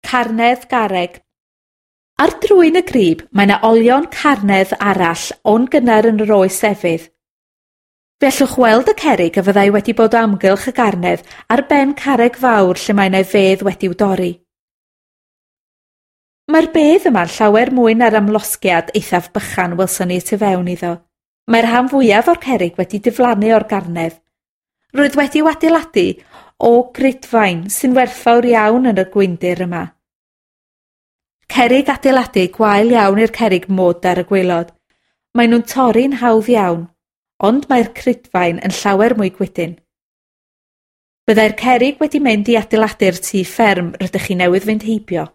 Carnedd garreg. Ar drwyn y grib mae 'na olion carnedd arall o'n gynnar yn yr oes efydd. Fe allwch weld y cerrig a fyddai wedi bod o amgylch y garnedd ar ben carreg fawr lle mae 'na fedd wedi'w dorri. Mae'r bedd yma'n llawer mwy na'r amlosgiad eithaf bychan welson ni y tu fewn iddo. Mae'r rhan fwyaf o'r cerrig wedi diflannu o'r garnedd. Roedd wedi'w adeiladu o grudfaen sy'n werthfawr iawn yn y gwyndir yma. Cerrig adeiladu gwael iawn i'r cerrig mwd ar y gwaelod. Maen nhw'n torri'n hawdd iawn, ond mae'r crudfaen yn llawer mwy gwydn. Byddai'r cerrig wedi mynd i adeiladu'r tŷ fferm rydych chi newydd fynd heibio.